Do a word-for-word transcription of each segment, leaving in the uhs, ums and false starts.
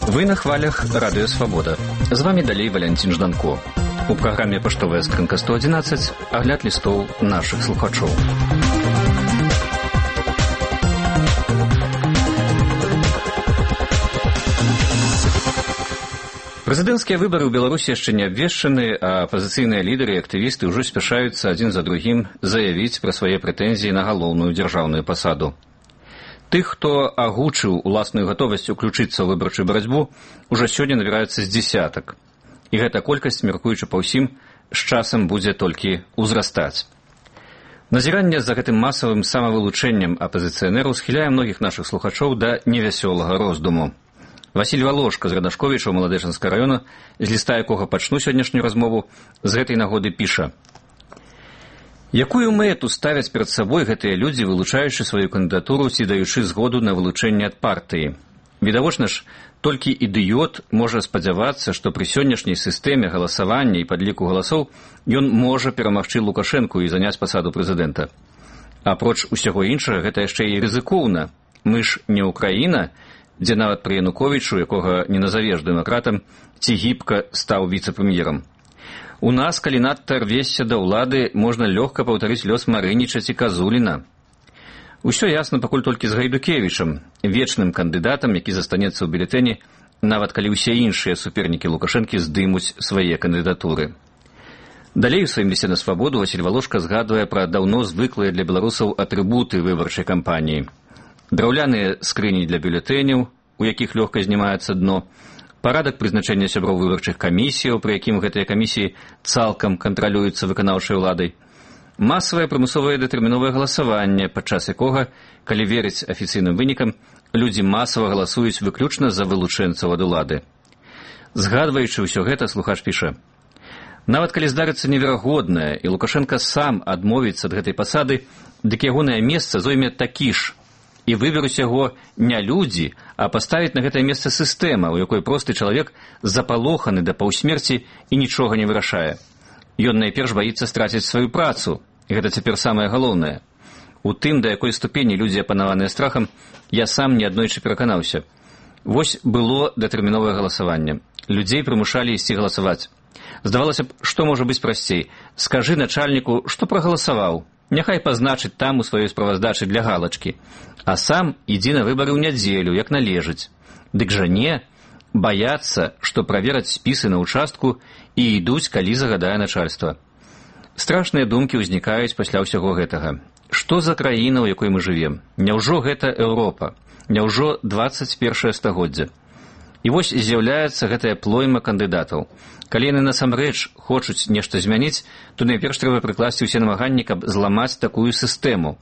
Вы на хвалях Радио Свобода. З вами далей Валянцін Жданко. У праграме «Паштовая скрынка сто одиннадцать» агляд лістоў нашых слухачоў. Прэзідэнцкія выбары ў Беларусі яшчэ не абвешчаны, а апазіцыйныя лідары і актывісты ўжо спяшаюцца адзін за другім заявіць пра свае прэтэнзіі на галоўную дзяржаўную пасаду. Тых, хто агучыў уласную гатовасць уключыцца ў выбарчую барацьбу, ужо сёння набіраецца з дзесятак. І гэта колькасць, мяркуючы па ўсім, з часам будзе толькі ўзрастаць. Назіранне за гэтым масавым самавылучэннем апазіцыянераў схіляе многіх нашых слухачоў да невясёлага роздуму. Васіль Валошка з Радашковіча ў Маладэчанскага раёна, з ліста якога пачну сённяшнюю размову, з гэтай нагоды піша: якую мэту ставяць перад сабой гэтыя людзі, вылучаючы сваю кандыдатуру ці даючы згоду на вылучэнне ад партыі? Відавочна ж, толькі ідыёт можа спадзявацца, што пры сённяшняй сістэме галасавання і падліку галасоў ён можа перамагчы Лукашэнку і заняць пасаду прэзідэнта. Апроч усяго іншага, гэта яшчэ і рызыкоўна. Мы ж не Украіна, дзе нават пры Януковічу, якога не назавеш дэмакратам, ці гібка стаў віцэ-прэм'ерам. У нас, калі надта рвешся да ўлады, можна лёгка паўтарыць лёс Марыніча ці Казуліна. Усё ясна пакуль толькі з Гайдукевічам, вечным кандыдатам, які застанецца ў бюлетэні, нават калі ўсе іншыя супернікі Лукашэнкі здымуць свае кандыдатуры. Далей у сваім лісце на Свабоду Васіль Валошка згадвае пра даўно звыклыя для беларусаў атрыбуты выбарчай кампаніі. Драўляныя скрыні для бюлетэняў, у якіх лёгка знімаецца дно, парадак прызначэння сяброў выбарчых камісіяў, пры якім гэтыя камісіі цалкам кантралююцца выканаўчай уладай, масавае прымусовае датэрміновае галасаванне, падчас якога, калі верыць афіцыйным вынікам, людзі масава галасуюць выключна за вылучэнцаў ад улады. Згадваючы ўсё гэта, слухач піша: нават калі здарыцца неверагоднае, і Лукашенка сам адмовіцца ад гэтай пасады, дык ягонае месца зойме такі ж, і выберуць яго не людзі, а паставіць на гэтае месца сістэма, у якой просты чалавек запалоханы да паўсмерці і нічога не вырашае. Ён найперш баіцца страціць сваю працу, і гэта цяпер самае галоўнае. У тым, да якой ступені людзі апанаваныя страхам, я сам неаднойчы пераканаўся. Вось было датэрміновае галасаванне. Людзей прымушалі ісці галасаваць. Здавалася б, што можа быць прасцей? Скажы начальніку, што прагаласаваў. Няхай пазначыць там у сваёй справаздачы для галачкі. А сам ідзі на выбары ў нядзелю, як належыць. Дык жа не, баяцца, што правераць спісы на ўчастку і ідуць, калі загадае начальства. Страшныя думкі ўзнікаюць пасля ўсяго гэтага. Што за краіна, у якой мы жывем? Няўжо гэта Еўропа? Няўжо дваццаць першае стагоддзе? І вось з'яўляецца гэтая плойма кандыдатаў. Калі яны насамрэч хочуць нешта змяніць, то найперш трэба прыкласці ўсе намаганні, каб зламаць такую сістэму.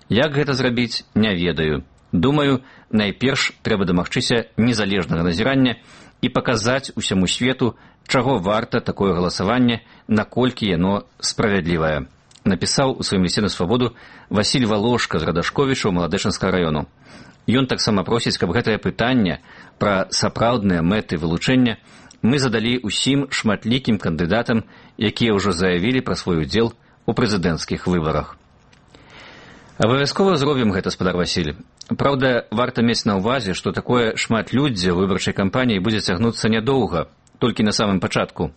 Як гэта зрабіць, не ведаю. Думаю, найперш трэба дамагчыся незалежнага назірання і паказаць усяму свету, чаго варта такое галасаванне, наколькі яно справядлівае. Напісаў у сваім лісце на Свабоду Васіль Валошка з Радашковіча ў Маладэчанскага раёну. Ён таксама просіць, каб гэтае пытанне пра сапраўдныя мэты вылучэння мы задалі ўсім шматлікім кандыдатам, якія ўжо заявілі пра свой удзел у прэзідэнцкіх выбарах. Абавязкова зробім гэта, спадар Васіль. Праўда, варта мець на ўвазе, што такое шматлюддзе ў выбарчай кампаніі будзе цягнуцца нядоўга, толькі на самым пачатку.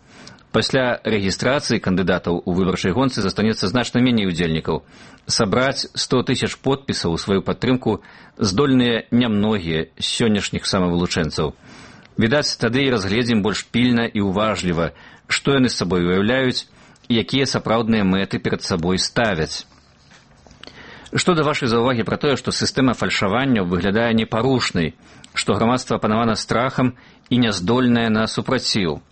Пасля рэгістрацыі кандыдатаў у выбарчай гонцы застанецца значна меней удзельнікаў. Сабраць сто тысяч подпісаў у сваю падтрымку здольныя нямногія з сённяшніх самавылучэнцаў. Відаць, тады і разгледзім больш пільна і ўважліва, што яны з сабой уяўляюць і якія сапраўдныя мэты перад сабой ставяць. Што да вашай заўвагі пра тое, што сістэма фальшаванняў выглядае непарушнай, што грамадства апанавана страхам і няздольнае на супраціў.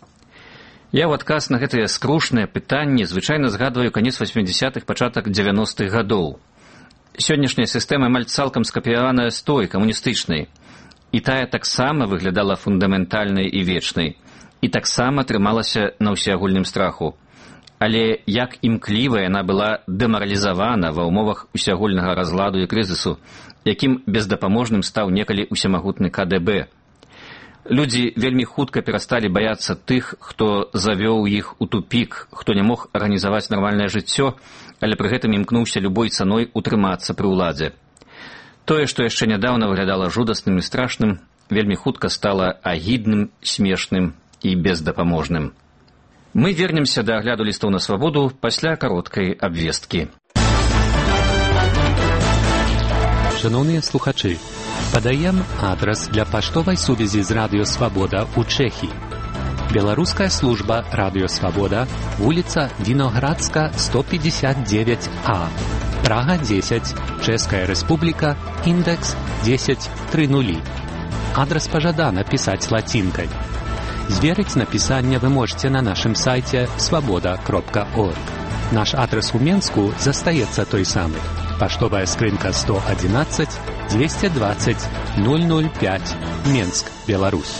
Я ў адказ на гэтыя скрушныя пытанні звычайна згадваю канец васьмідзясятых, пачатак дзевяностых гадоў. Сённяшняя сістэма амаль цалкам скапіяваная з той, камуністычнай. І тая таксама выглядала фундаментальнай і вечнай, і таксама трымалася на ўсеагульным страху. Але як імкліва яна была дэмаралізавана ва ўмовах усеагульнага разладу і крызісу, якім бездапаможным стаў некалі усемагутны ка дэ бэ. Людзі вельмі хутка перасталі баяцца тых, хто завёў іх у тупік, хто не мог арганізаваць нармальнае жыццё, але пры гэтым імкнуўся любой цаной утрымацца пры ўладзе. Тое, што яшчэ нядаўна выглядала жудасным і страшным, вельмі хутка стала агідным, смешным і бездапаможным. Мы вернемся да агляду лістоў на свабоду пасля кароткай абвесткі. Шановныя слухачы, падаем адрас для паштовай сувязі з Радыё Свабода ў Чэхіі. Беларуская служба Радыё Свабода, вуліца Віноградска, сто пятьдесят девять А, Прага десять, Чэшская Рэспубліка, індекс десять тридцать. Адрас пажадана пісаць лацінкай. Зверыць напісанне вы можете на нашым сайце свабода кропка орг. Наш адрес у Менску застаецца той самы. Паштовая скрынка сто одиннадцать двести двадцать ноль ноль пять, Менск, Беларусь.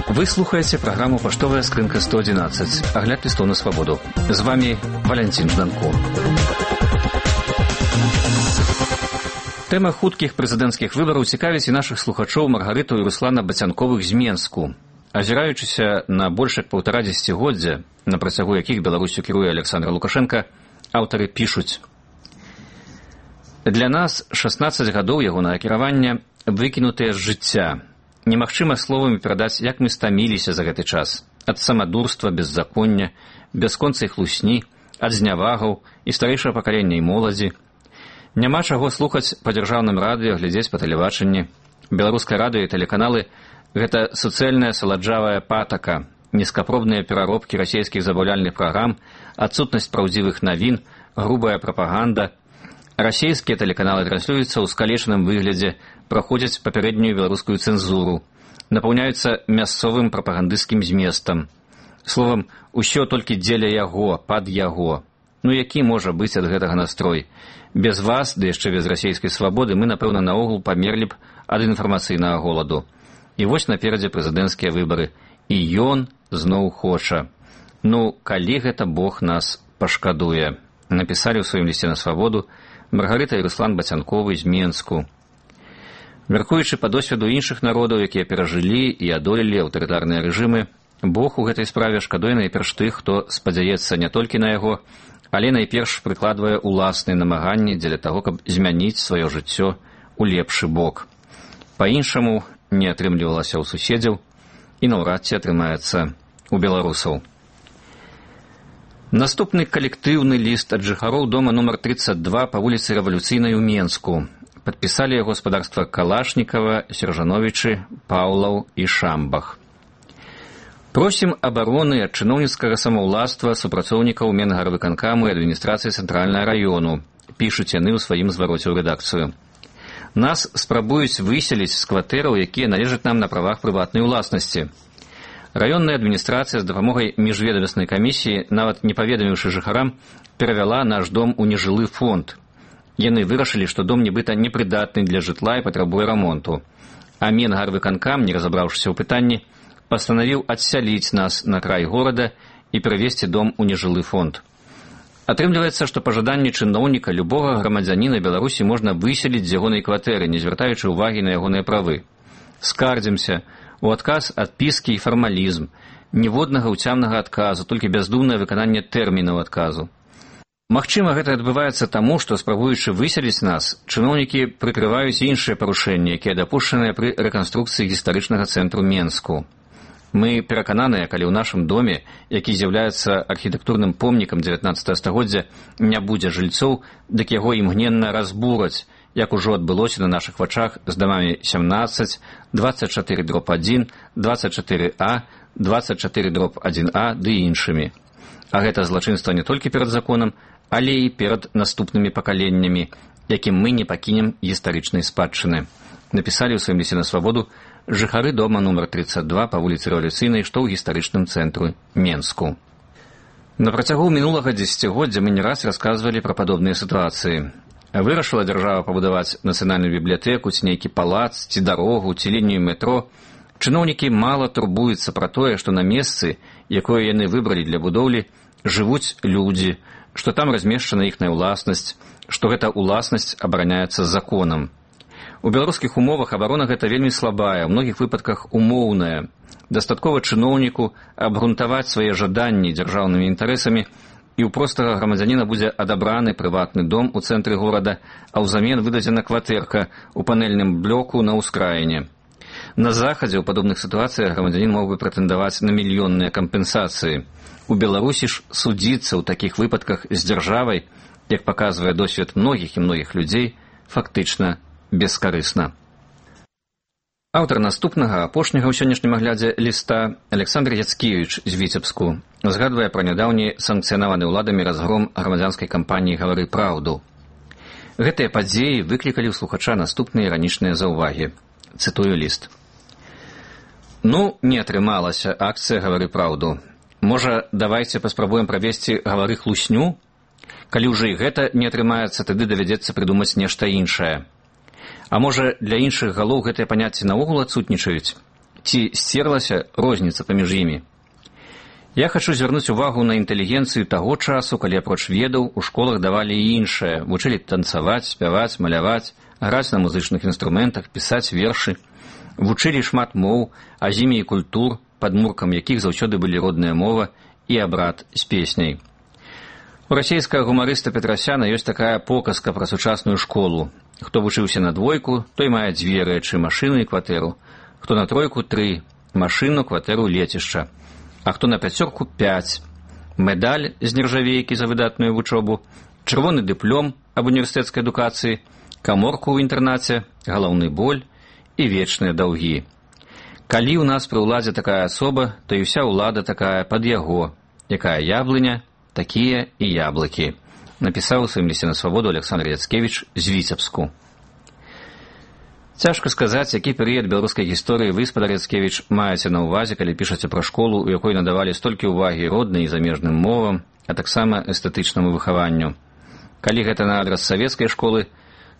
Вы слухаеце праграму «Паштовая скрынка сто одиннадцать», агляд лістоў на свабоду. З вами Валянцін Жданко. Тэма хуткіх прэзідэнцкіх выбараў цікавіць і нашых слухачоў Маргарыту і Руслана Бацянковых з Менску. Азіраючыся на больш як паўтара дзесяцігоддзя, на працягу якіх Беларусю кіруе Александр Лукашенко, аўтары пішуць: «Для нас шаснаццаць гадоў ягонага кіравання выкінутыя з жыцця. Немагчыма словамі перадаць, як мы стаміліся за гэты час. Ад самадурства, беззаконня, бясконцай хлусні, ад знявагаў і старэйшага пакалення і моладзі. Няма чаго слухаць па дзяржаўным радыё, глядзець па тэлебачанні. Беларускае радыё і тэлеканалы – гэта суцэльная саладжавая патака, нізкапробныя пераробкі расійскіх забаўляльных праграм, адсутнасць праўдзівых навін, грубая прапаганда. Расійскія тэлеканалы транслююцца ў скалечаным выглядзе, праходзяць папярэднюю беларускую цэнзуру, напаўняюцца мясцовым прапагандысцкім зместам. Словам, усё толькі дзеля яго, пад яго. Ну які можа быць ад гэтага настрой? Без вас, ды яшчэ без расійскай свабоды, мы, напэўна, наогул памерлі б ад інфармацыйнага голаду. І вось наперадзе прэзідэнцкія выбары. І ён зноў хоча. Ну, калі гэта Бог нас пашкадуе? Напісалі ў сваім лісце на свабоду Маргарыта і Руслан Бацянковы з Менску. Мяркуючы па досведу іншых народаў, якія перажылі і адолелі аўтарытарныя рэжымы, Бог у гэтай справе шкадуе найперш тых, хто спадзяецца не толькі на яго, але найперш прыкладвае ўласныя намаганні дзеля таго, каб змяніць сваё жыццё у лепшы бок. Па-іншаму не атрымлівалася ў суседзяў і наўрад ці атрымаецца у беларусаў. Наступны калектыўны ліст ад жыхароў дома нумар тридцать два па вуліцы Рэвалюцыйнай у Менску. Падпісалі яго гаспадарства Калашнікава, Сержановічы, Паўлаў і Шамбах. Просім абароны ад чыноўніцкага самаўластва супрацоўнікаў Менгарвыканкаму і адміністрацыі цэнтральнага раёну, пішуць яны ў сваім звароце ў рэдакцыю. Нас спрабуюць выселіць з кватэраў, якія належаць нам на правах прыватнай уласнасці. Раённая адміністрацыя з дапамогай міжведамаснай камісіі, нават не паведаміўшы жыхарам, перавяла наш дом у нежылы фонд. Яны вырашылі, што дом нібыта непрыдатны для жытла і патрабуе рамонту. А Менгарвыканкам, не разабраўшыся ў пытанні, пастанавіў адсяліць нас на край горада і перавесці дом у нежылы фонд. Атрымліваецца, што па жаданні чыноўніка любога грамадзяніна Беларусі можна выселіць з ягонай кватэры, не звяртаючы ўвагі на ягоныя правы. Скардзімся. У адказ адпіскі і фармалізм. Ніводнага ўцямнага адказу, толькі бяздумнае выкананне тэрмінаў адказу. Магчыма, гэта адбываецца таму, што, спрабуючы выселіць нас, чыноўнікі прыкрываюць іншыя парушэнні, якія дапушчаныя пры рэканструкцыі гістарычнага цэнтру Менску. Мы перакананыя, калі ў нашым доме, які з'яўляецца архітэктурным помнікам дзевятнаццатага стагоддзя, не будзе жыльцоў, дык яго імгненна разбураць, як ужо адбылося на нашых вачах з дамамі сямнаццаць, двадцать чатыры дробь адзін, двадцать чатыры А, двадцать чатыры дробь адзін А ды іншымі. А гэта злачынства не толькі перад законам, але і перад наступнымі пакаленнямі, якім мы не пакінем гістарычнай спадчыны. Напісалі ў сваім лісце на свабоду жыхары дома нумар тридцать два па вуліцы Рэвалюцыйнай, што ў гістарычным цэнтру Менску. На працягу мінулага дзесяцігоддзя мы не раз расказвалі пра падобныя сітуацыі. Вырашыла дзяржава пабудаваць нацыянальную бібліятэку, ці нейкі палац, ці дарогу, ці лінію метро. Чыноўнікі мала турбуюцца пра тое, што на месцы, якое яны выбралі для будоўлі, жывуць людзі, што там размешчана іхная ўласнасць, што гэта ўласнасць абараняецца законам. У беларускіх умовах абарона гэта вельмі слабая, ў многіх выпадках умоўная. Дастаткова чыноўніку абгрунтаваць свае жаданні дзяржаўнымі інтарэсамі, і ў простага грамадзяніна будзе адабраны прыватны дом у цэнтры горада, а ўзамен выдадзена кватэрка ў панельным блоку на ўскраіне. На захадзе ў падобных сітуацыях грамадзянін мог бы прэтэндаваць на мільённыя кампенсацыі. У Беларусі ж судзіцца ў такіх выпадках з дзяржавай, як паказвае досвед многіх і многіх людзей, фактычна бескарысна. Аўтар наступнага, апошняга ў сённяшнім аглядзе ліста, Александр Яцкевіч з Віцебску, згадвае пра нядаўні санкцыянаваны ўладамі разгром грамадзянскай кампаніі «Гавары праўду». Гэтыя падзеі выклікалі ў слухача наступныя іранічныя заўвагі. Цытую ліст. «Ну, не атрымалася акцыя «Гавары праўду». Можа, давайце паспрабуем правесці «Гавары хлусню»? Калі ўжо і гэта не атрымаецца, тады давядзецца прыдумаць нешта іншае. А можа, для іншых галоў гэтыя паняцці наогул адсутнічаюць? Ці сцерлася розніца паміж імі? Я хачу звярнуць увагу на інтэлігенцыю таго часу, калі апроч ведаў у школах давалі і іншае, вучылі танцаваць, спяваць, маляваць, граць на музычных інструментах, пісаць вершы, вучылі шмат моў, а з імі і культур, падмуркам якіх заўсёды былі родная мова і абрад з песняй. У расейскага гумарыста Петрасяна ёсць такая показка пра сучасную школу. Хто вучыўся на двойку, той мае дзве рэчы, машыну і кватэру. Хто на тройку – тры, машыну, кватэру, лецішча. А хто на пяцёрку – пяць. Медаль з нержавейкі за выдатную вучобу, чырвоны дыплом аб універсітэцкай адукацыі, каморку ў інтэрнаце, галаўны боль і вечныя даўгі. Калі ў нас пры ўладзе такая асоба, то і ўся ўлада такая пад яго. Якая яблыня, такія і яблыкі. Напісаў у сваім лісце на свабоду Александр Яцкевіч з Віцебску. Цяжка сказаць, які перыяд беларускай гісторыі вы, спадар Яцкевіч, маеце на ўвазе, калі пішаце пра школу, у якой надавалі столькі ўвагі роднай і замежным мовам, а таксама эстэтычнаму выхаванню. Калі гэта на адрас савецкай школы,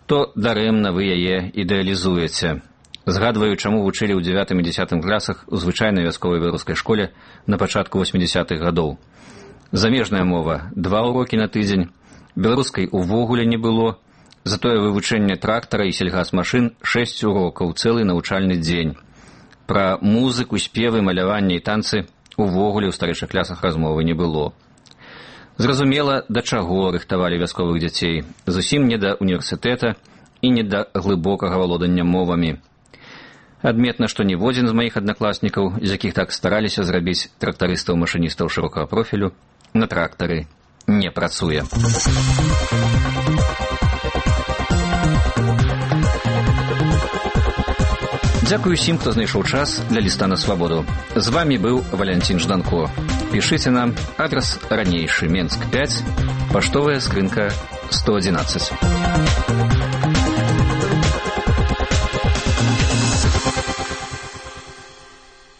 то дарэмна вы яе ідэалізуеце. Згадваю, чаму вучылі ў дзявятым і дзясятым класах у звычайнай вясковай беларускай школе на пачатку восьмідзясятых гадоў. Замежная мова – два урокі на тыдзень, беларускай увогуле не было, затое вывучэнне трактара і сельгасмашын шэсць урокаў, цэлы навучальны дзень. Пра музыку, спевы, маляванне і танцы увогуле ў старэйшых класах размовы не было. Зразумела, да чаго рыхтавалі вясковых дзяцей, зусім не да універсітэта і не да глыбокага валодання мовамі. Адметна, што ніводзін з маіх аднакласнікаў, з якіх так стараліся зрабіць трактарыстаў-машыністаў шырокага профілю, на трактары не працуе. Дзякую усім, хто знайшоў час для ліста на свабоду. З вамі быў Валянцін Жданко. Пішыце нам, адрас ранейшы, Менск пяць, паштовая скрынка сто адзінаццаць.